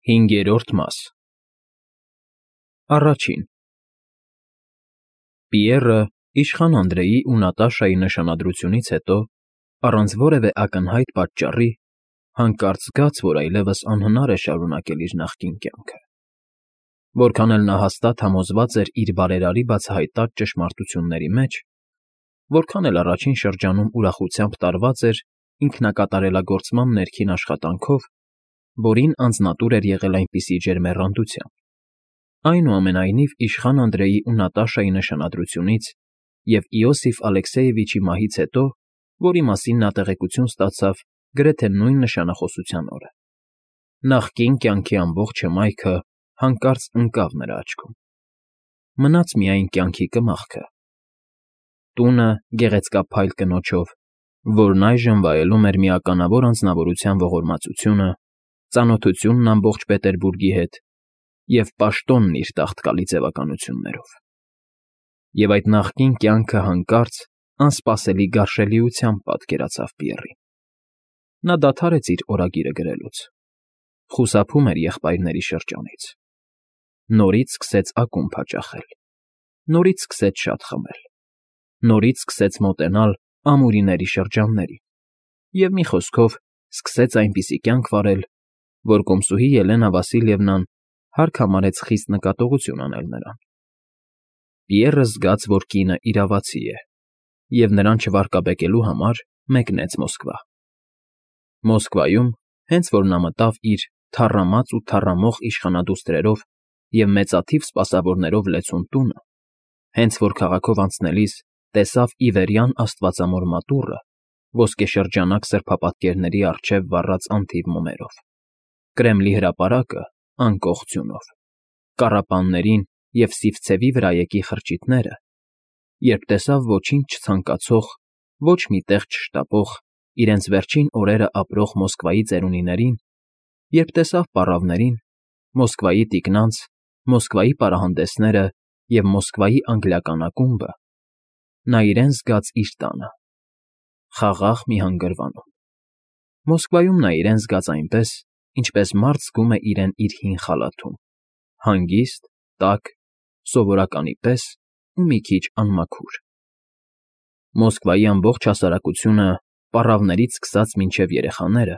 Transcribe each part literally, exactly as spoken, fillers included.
Հինգերորդ մաս Առաջին Պիեռը իշխան Անդրեի ու Նատաշայի նշանադրությունից հետո, առանց որևէ ակնհայտ պատճառի, հանկարծ զգաց, որ այլևս անհնար է շարունակել իր նախկին կյանքը. որքան էլ նա հաստատ համոզված էր իր բարերարի բացահայտած ճշմարտությունների մեջ, որքան էլ առաջին շրջանում ուրախությամբ տարված էր ինքնակատարելագործման ներքին աշխատանքով, որին անձնատուր էր եղել այնպիսի ջերմեռանդությամբ, այնուամենայնիվ իշխան Անդրեի ու Նատաշայի նշանադրությունից և Իոսիֆ Ալեքսեևիչի մահից հետո, որի մասին նա տեղեկություն ստացավ գրեթե նույն նշանախոսության օրը, նախկին կյանքի ամբողջ հմայքը հանկարծ ընկավ նրա աչքում. մնաց միայն կյանքի կմախքը, տունը գեղեցկափայլ կնոջով, որն այժմ վայելում էր մի ականավոր անձնավորության ողորմածությունը, ծանոթությունն ամբողջ Պետերբուրգի հետ և պաշտոնն իր տաղտկալի ձևականություններով, և այդ նախկին կյանքը հանկարծ անսպասելի գարշելիությամբ պատկերացավ Պիեռին. նա դադարեց իր օրագիրը գրելուց, խուսափում էր եղբայրների շրջանից, նորից սկսեց ակումբ հաճախել, նորից սկսեց շատ խմել, նորից սկսեց մոտենալ ամուրիների շրջաններին և, մի խոսքով, սկսեց այնպիսի կյանք վարել, որ կոմսուհի Ելենա Վասիլևնան հարկ համարեց խիստ նկատողություն անել նրան. Պիեռը զգաց, որ կինը իրավացի է, և նրան չվարկաբեկելու համար մեկնեց Մոսկվա։ Մոսկվայում, հենց որ նա մտավ իր թառամած ու թառամող իշխանադուստրերով և մեծաթիվ սպասավորներով լեցուն տունը, հենց որ քաղաքով անցնելիս տեսավ Իվերյան աստվածամոր մատուռը ոսկեշրջանակ սրբապատկերների առջև վառած անթիվ մոմերով, Կրեմլի հրապարակը անկող ձյունով, կառապաններին և սիվցևի վրա եկի խրճիթները, երբ տեսավ ոչինչ չցանկացող, ոչ մի տեղ չշտապող, իրենց վերջին օրերը ապրող Մոսկվայի ծերունիներին, երբ տեսավ պառավներին, Մոսկվայի տիկնանց, Մոսկվայի պարահանդեսները և Մոսկվայի անգլիական ակումբը, նա իրեն զգաց իր տանը, խաղաղ մի հանգրվանում։ Մոսկվայում նա իրեն զգաց այնպես, ինչպես մարդ զգում է իրեն իր հին խալաթում, հանգիստ, տաք, սովորականի պես ու մի քիչ անմաքուր։ Մոսկվայի ամբողջ հասարակությունը, պառավներից սկսած մինչև երեխաները,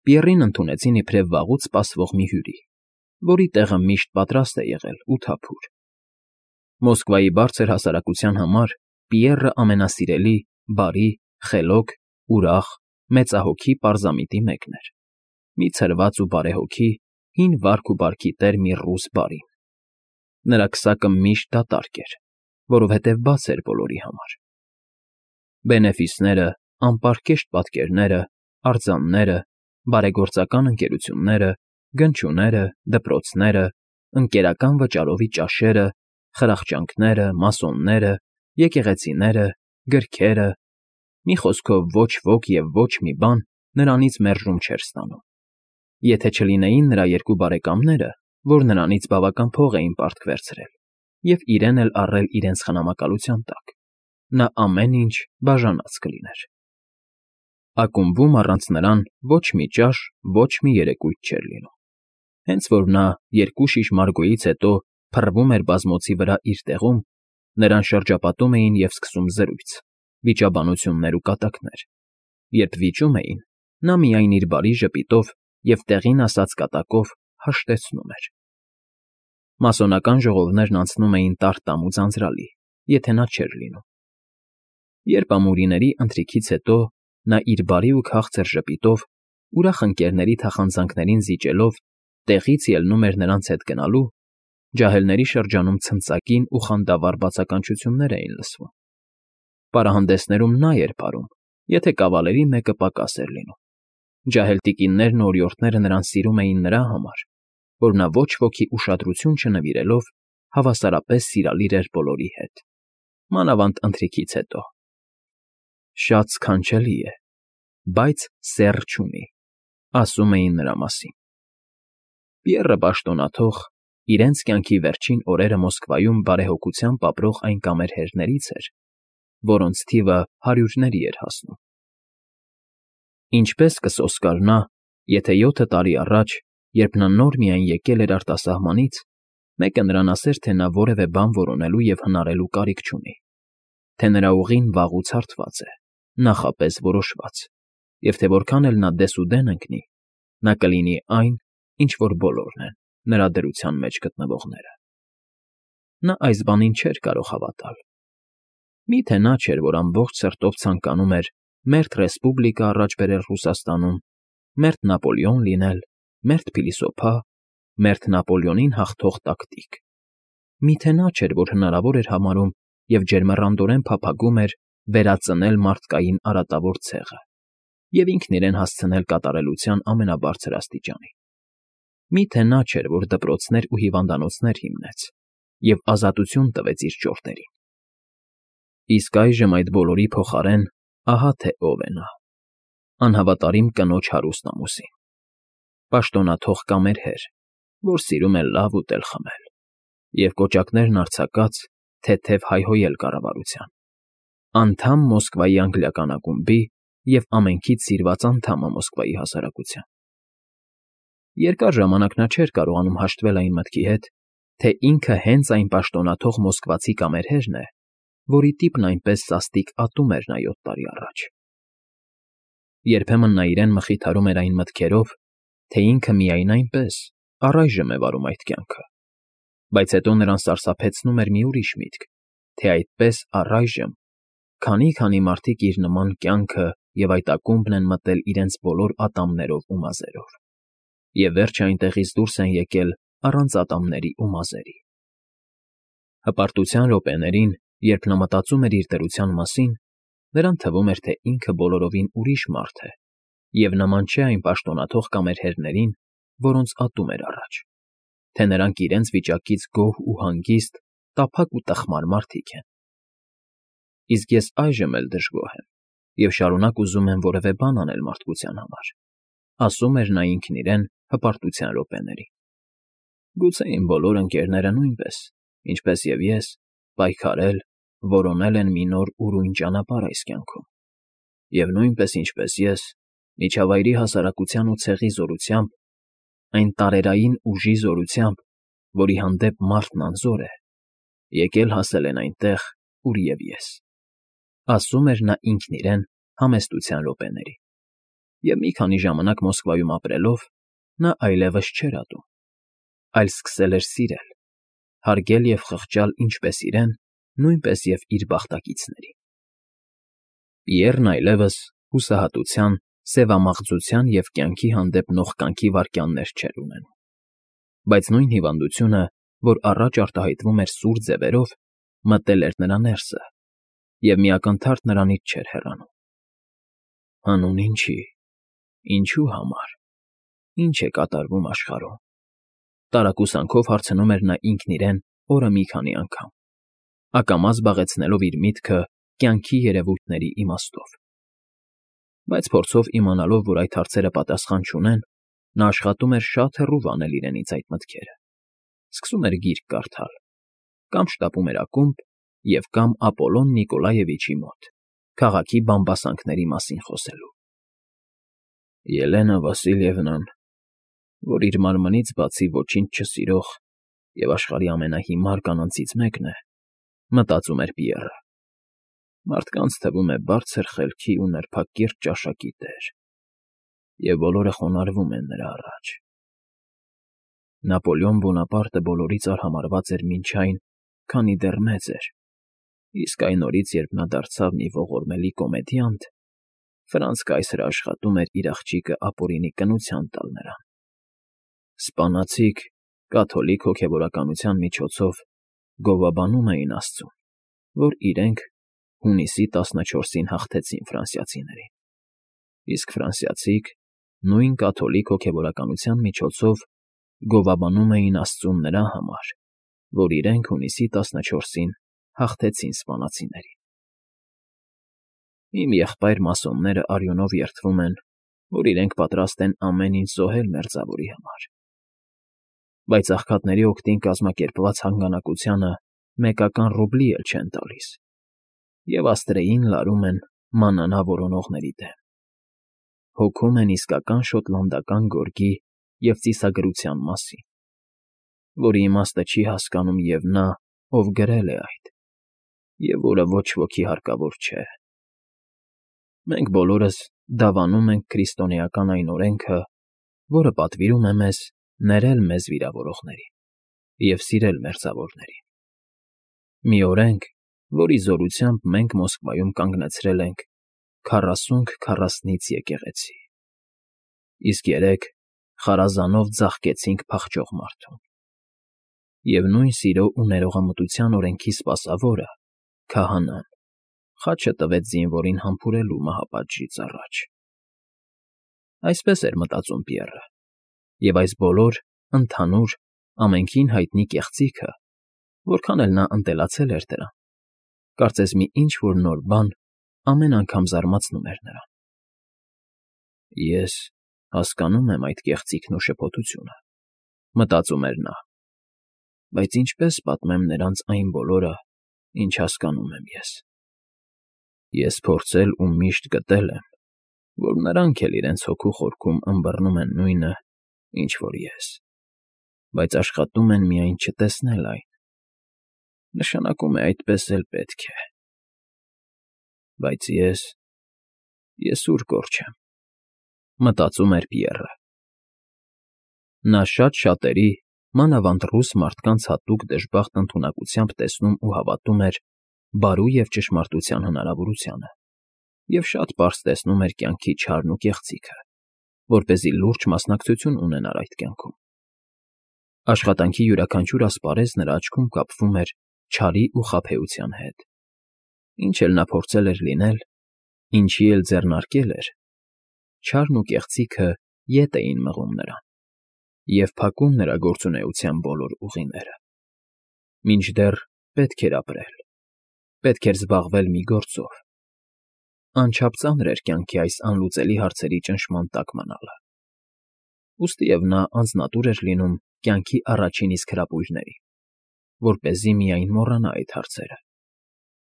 Պիեռին ընդունեցին իբրև վաղուց սպասվող մի հյուրի, որի տեղը միշտ պատրաստ է եղել ու թափուր։ Մոսկվայի բարձր հասարակության համար Պիեռը ամենասիրելի, բարի, խելոք, ուրախ, մեծահոգի պարզամիտի մեկն էր, մի ցրված ու բարեհոգի, հին վարք ու բարքի տեր մի ռուս բարի։ Նրա քսակը միշտ դատարկ էր, որովհետև բաց էր բոլորի համար։ Բենեֆիսները, անպարկեշտ պատկերները, արձանները, բարեգործական ընկերությունները, գնչուները, դպրոցները, ընկերական վճարովի ճաշերը, խրախճանքները, մասոնները, եկեղեցիները, գրքերը, մի խոսքով ոչ ոք և ոչ մի բան նրանից մերժում չէր ստանում, եթե չլինեին նրա երկու բարեկամները, որ նրանից բավական փող էին պարտք վերցրել և իրեն էլ առել իրենց խնամակալության տակ, նա ամեն ինչ բաժանած կլիներ։ Ակումբում առանց նրան ոչ մի ճաշ, ոչ մի երեկույթ չէր լինում, հենց որ նա երկու շիշ Մարգոյից հետո փռվում էր բազմոցի վրա իր տեղում, նրան շրջապատում էին և սկսում զրույց, վիճաբանություններ ու կատակներ, երբ վիճում էին, նա միայն իր բարի ժպիտով և տեղին ասած կատակով հաշտեցնում էր։ Մասոնական ժողովներն անցնում էին տար֊տամ ու ձանձրալի, եթե նա չէր լինում։ Երբ ամուրիների ընթրիքից հետո նա իր բարի ու քաղցր ժպիտով, ուրախ ընկերների թախանձնանքներին զիջելով, տեղից ելնում էր նրանց հետ գնալու, ջահելների շրջանում ցնծակին ու խանդավառ բացականչություններ էին լսվում։ Պարահանդեսներում նա էր պարում, եթե կավալերի մեկը պակաս էր լինում, ջահել տիկիններն ու օրիորդները նրան սիրում էին նրա համար, որ նա ոչ ոքի ուշադրություն չնվիրելով հավասարապես սիրալիր էր բոլորի հետ, մանավանդ ընթրիքից հետո։ Շատ սքանչելի է, բայց սեռ չունի, ասում էին նրա մասին։ Պիեռը պաշտոնաթող, իրենց կյանքի վերջին օրերը Մոսկվայում բարեհոգությամբ ապրող այն կամերհերներից էր, որոնց թիվը հարյուրների էր հասնում։ Ինչպես կսոսկար նա, եթե յոթ տարի առաջ Երբ նա նոր միայն եկել էր արտասահմանից, մեկը նրան ասեր, թե նա որևէ բան որոնելու և հնարելու կարիք չունի, թե նրա ուղին վաղուց հարթված է, նախապես որոշված, և թե որքան էլ նա դեսուդեն ընկնի, նա կլինի այն, ինչ որ բոլորն են, նրա դրության մեջ գտնվողները։ Նա այս բանին չէր կարող հավատալ։ Մի՞թե նա չէր, որ ամբողջ սրտով ցանկանում էր մերթ ռեսպուբլիկա առաջ բերել Ռուսաստանում, մերթ Նապոլեոն լինել, մերթ փիլիսոփա, մերթ Նապոլեոնին հաղթող տակտիկ։ Մի՞թե նա չէր, որ հնարավոր էր համարում և ջերմեռանդորեն փափագում էր վերածնել մարդկային արատավոր ցեղը և ինքն իրեն հասցնել կատարելության ամենաբարձր աստիճանի։ Մի՞թե նա չէր, որ դպրոցներ ու հիվանդանոցներ հիմնեց և ազատություն տվեց իր ճորտերին։ Իսկ այժմ այդ բոլորի փոխարեն ահա թե ով է նա. անհավատարիմ կնոջ հարուստ ամուսին, պաշտոնաթող կամերհեր, որ սիրում է լավ ուտել֊խմել, և կոճակներն արձակած թեթև հայհոյել կառավարության, անդամ Մոսկվայի անգլիական ակումբի և ամենքից սիրված անդամը Մոսկվայի հասարակության։ Երկար ժամանակ նա չէր կարողանում հաշտվել այն մտքի հետ, թե ինքը հենց այն պաշտոնաթող մոսկվացի կամերհերն է, որի տիպն այնպես սաստիկ ատում էր նա յոթ տարի առաջ։ Երբեմն նա իրեն մխիթարում էր այն մտքերով, թե ինքը միայն այնպես առայժմ է վարում այդ կյանքը, բայց հետո նրան սարսափեցնում էր մի ուրիշ միտք, թե այդպես առայժմ քանի֊քանի մարդիկ իր նման կյանքը և այդ ակումբն են մտել իրենց բոլոր ատամներով ու մազերով, և վերջը այնտեղից դուրս են եկել առանց ատամների ու մազերի։ Հպարտության րոպեներին, երբ նա մտածում էր իր դրության մասին, նրան թվում էր, թե ինքը բոլորովին ուրիշ մարդ է և նման չէ այն պաշտոնաթող կամերհերներին, որոնց ատում էր առաջ, թե նրանք իրենց վիճակից գոհ ու հանգիստ, տափակ ու տխմար մարդիկ են։ Իսկ ես այժմ էլ դժգոհ եմ և շարունակ ուզում եմ որևէ բան անել մարդկության համար, ասում էր նա ինքն իրեն հպարտության րոպեներին։ Գուցե իմ բոլոր ընկերները նույնպես, ինչպես և ես, պայքարել, որոնել են մի նոր ուրույն ճանապարհ այս կյանքում, և նույնպես, ինչպես ես, միջավայրի հասարակության ու ցեղի զորությամբ, այն տարերային ուժի զորությամբ, որի հանդեպ մարդն անզոր է, եկել հասել են այնտեղ, ուր և ես, ասում էր նա ինքն իրեն համեստության րոպեներին։ Եվ մի քանի ժամանակ Մոսկվայում ապրելով, նա այլևս չէր ատում, այլ սկսել էր սիրել, հարգել և խղճալ ինչպես իրեն, նույնպես և իր բախտակիցներին։ Պիեռն այլևս հուսահատության, սևամաղձության և կյանքի հանդեպ նողկանքի վայրկյաններ չէր ունենում, բայց նույն հիվանդությունը, որ առաջ արտահայտվում էր սուր ձևերով, մտել էր նրա ներսը և մի ակնթարթ նրանից չէր հեռանում։ Հանուն ինչի, ինչու համար, ի՞նչ է կատարվում աշխարհում, տարակուսանքով հարցնում էր նա ինքն իրեն օրը մի քանի անգամ, ակամա զբաղեցնելով իր միտքը կյանքի երևույթների իմաստով։ Բայց փորձով իմանալով, որ այդ հարցերը պատասխան չունեն, նա աշխատում էր շատ հեռու վանել իրենից այդ մտքերը, սկսում էր գիրք կարդալ, կամ շտապում էր ակումբ և կամ Ապոլոն Նիկոլաևիչի մոտ, քաղաքի բամբասանքների մասին խոսելու։ Ելենա Վասիլևնան, որ իր մարմնից բացի ոչինչ չսիրող և աշխարհի ամենահիմար կանանցից մեկն է, մտածում էր Պիեռը, մարդկանց թվում է բարձր խելքի ու նրբակիրթ ճաշակի տեր, և բոլորը խոնարհվում են նրա առաջ։ Նապոլեոն Բոնապարտը բոլորից արհամարհված էր մինչ այն, քանի դեռ մեծ էր, իսկ այն օրից, երբ նա դարձավ մի ողորմելի կոմեդիանտ, Ֆրանց կայսրը աշխատում էր իր աղջիկը ապօրինի կնության տալ նրան։ Սպանացիք կաթոլիկ հոգևորականության միջոցով գովաբանում էին աստծուն, որ իրենք հունիսի տասնչորսին հաղթեցին ֆրանսիացիներին, իսկ ֆրանսիացիք նույն կաթոլիկ հոգևորականության միջոցով գովաբանում էին աստծուն նրա համար, որ իրենք հունիսի տասնչորսին հաղթեցին սպանացիներին։ Իմ եղբայր֊մասոնները արյունով երդվում են, որ իրենք պատրաստ են ամեն ինչ զոհել մերձավորի համար, բայց աղքատների օգտին կազմակերպված հանգանակությանը մեկական ռուբլի էլ չեն տալիս և աստրեին լարում են մանանա որոնողների դեմ, հոգում են իսկական շոտլանդական գորգի և ծիսագրության մասին, որի իմաստը չի հասկանում և նա, ով գրել է այդ, և որը ոչ ոքի հարկավոր չէ։ Մենք բոլորս դավանում ենք քրիստոնեական այն օրենքը, որը պատվիրում է մեզ ներել մեզ վիրավորողներին և սիրել մերձավորներին։ Մի օրենք, որի զորությամբ մենք Մոսկվայում կանգնեցրել ենք քառասունք քառասնից եկեղեցի, իսկ երեկ խարազանով ձաղկեցինք փախչող մարդուն։ Եվ նույն սիրո ու ներողամտության օրենքի սպասավորը՝ քահանան, խաչը տվեց զինվորին համբուրելու մահապատժից առաջ։ Այսպես էր մտածում Պիեռը, և այս բոլոր, ընդհանուր, ամենքին հայտնի կեղծիքը, որքան էլ նա ընտելացել էր դրան, կարծես մի ինչ֊որ նոր բան ամեն անգամ զարմացնում էր նրան։ «Ես հասկանում եմ այդ կեղծիքն ու շփոթությունը,֊ մտածում էր նա,֊ բայց ինչպե՞ս պատմեմ նրանց այն բոլորը, ինչ հասկանում եմ ես։ Ես փորձել ու միշտ գտել եմ, որ նրանք էլ իրենց հոգու խորքում ըմբռնում են նույնը, ինչ որ ես, բայց աշխատում են միայն չտեսնել այն, նշանակում է այդպես էլ պետք է։ Բայց ես… ես ուր կորչեմ,֊ մտածում էր Պիեռը։ Նա շատ֊շատերի, մանավանդ ռուս մարդկանց հատուկ դժբախտ ընդունակությամբ տեսնում ու հավատում էր բարու և ճշմարտության հնարավորությանը և շատ պարզ տեսնում էր կյանքի չարն ու կեղծիքը, որպեսզի լուրջ մասնակցություն ունենար այդ կյանքում։ Աշխատանքի յուրաքանչյուր ասպարեզ նրա աչքում կապվում էր չարի ու խաբեության հետ։ Ինչ էլ նա փորձել էր լինել, ինչի էլ ձեռնարկել էր, չարն ու կեղծիքը ետ էին մղում նրան և փակում նրա գործունեության բոլոր ուղիները։ Մինչդեռ պետք էր ապրել, պետք էր զբաղվել մի գործով, անչափ ծանր էր կյանքի այս անլուծելի հարցերի ճնշման տակ մնալը։ Ուստիև նա անձնատուր էր լինում կյանքի առաջին իսկ հրապույրներին, որպեսզի միայն մոռանա այդ հարցերը։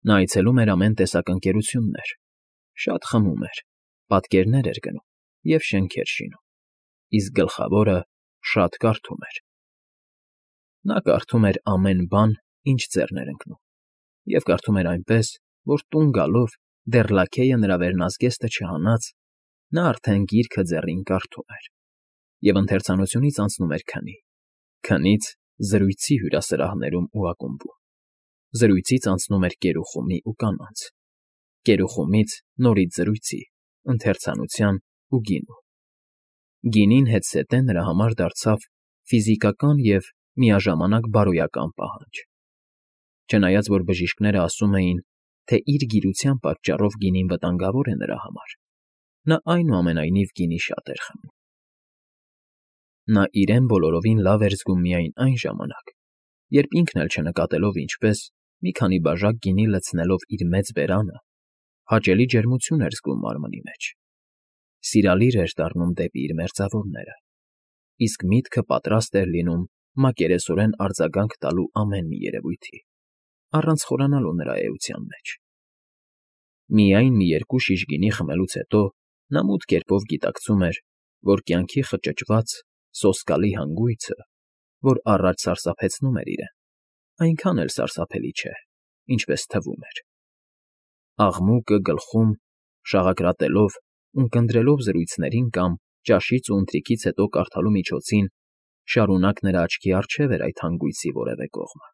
Նա այցելում էր ամեն տեսակ ընկերություններ, շատ խմում էր, պատկերներ էր գնում և շենքեր շինում, իսկ գլխավորը շատ կարդում էր։ Նա կարդում էր ամեն բան, ինչ ձեռն էր ընկնում, և կարդում էր այնպես, որ տուն գալով, դեռ լաքեյը նրա վերնազգեստը չհանած, նա արդեն գիրքը ձեռին կարդում էր և ընթերցանությունից անցնում էր քնի, քնից զրույցի հյուրասրահներում ու ակումբում, զրույցից անցնում էր կերուխումի ու կանանց, կերուխումից նորից զրույցի, ընթերցանության ու գինու։ Գինին հետզհետե նրա համար դարձավ ֆիզիկական և միաժամանակ բարոյական պահանջ։ Չնայած որ բժիշկները ասում էին, թե իր գիրության պատճառով գինին վտանգավոր է նրա համար, նա այնուամենայնիվ գինի շատ էր խմում։ Նա իրեն բոլորովին լավ էր զգում միայն այն ժամանակ, երբ ինքն էլ չնկատելով ինչպես, մի քանի բաժակ գինի լցնելով իր մեծ բերանը, հաճելի ջերմություն էր զգում մարմնի մեջ, սիրալիր էր դառնում դեպի իր մերձավորները, իսկ միտքը պատրաստ էր լինում մակերեսորեն արձագանք տալու ամեն մի երևույթի, առանց խորանալու նրա էության մեջ։ Միայն մի երկու շիշ գինի խմելուց հետո նա մութ կերպով գիտակցում էր, որ կյանքի խճճված, սոսկալի հանգույցը, որ առաջ սարսափեցնում էր իրեն, այնքան էլ սարսափելի չէ, ինչպես թվում էր։ Աղմուկը գլխում, շաղակրատելով, ունկնդրելով զրույցներին կամ ճաշից ու ընթրիքից հետո կարդալու միջոցին շարունակ նրա աչքի առջև էր այդ հանգույցի որևէ կողմը,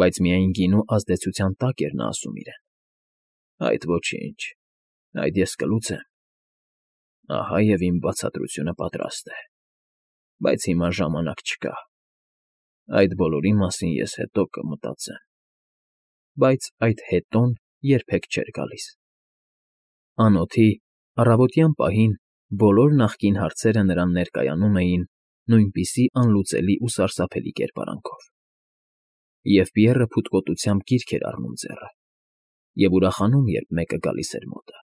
բայց միայն գինու ազդեցության տակ էր նա ասում իրեն. «Այդ ոչինչ, այդ ես կլուծեմ, ահա և իմ բացատրությունը պատրաստ է, բայց հիմա ժամանակ չկա, այդ բոլորի մասին ես հետո կմտածեմ»։ Բայց այդ հետոն երբեք չէր գալիս։ Անոթի, առավոտյան պահին բոլոր նախկին հարցերը նրան ներկայանում էին նույնպիսի անլուծելի ու սարսափելի կերպարանքով, և Պիեռը փութկոտությամբ գիրք էր առնում ձեռը և ուրախանում, երբ մեկը գալիս էր մոտը։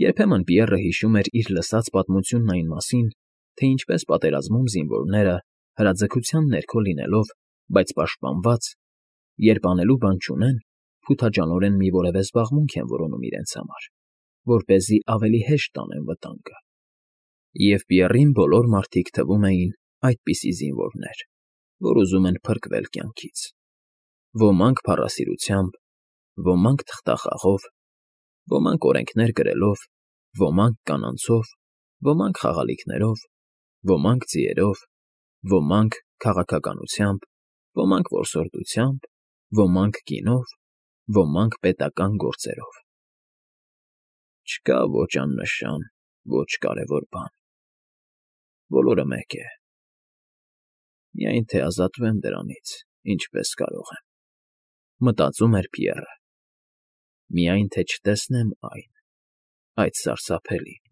Երբեմն Պիեռը հիշում էր իր լսած պատմությունն այն մասին, թե ինչպես պատերազմում զինվորները, հրաձգության ներքո լինելով, բայց պաշտպանված, երբ անելու բան չունեն, փութաջանորեն մի որևէ զբաղմունք են որոնում իրենց համար, որպեսզի ավելի հեշտ տանեն վտանգը։ Եվ Պիեռին բոլոր մարդիկ թվում էին այդպիսի զինվորներ, որ ուզում են փրկվել կյանքից. ոմանք փառասիրությամբ, ոմանք թղթախաղով, ոմանք օրենքներ գրելով, ոմանք կանանցով, ոմանք խաղալիքներով, ոմանք ձիերով, ոմանք քաղաքականությամբ, ոմանք որսորդությամբ, ոմանք գինով, ոմանք պետական գործերով։ Չկա ոչ աննշան, ոչ կարևոր բան, բոլորը մեկ է, միայն թե ազատվեմ դրանից ինչպես կարող եմ, մտածում էր Պիեռը, միայն թե չտեսնեմ այն, այդ սարսափելին։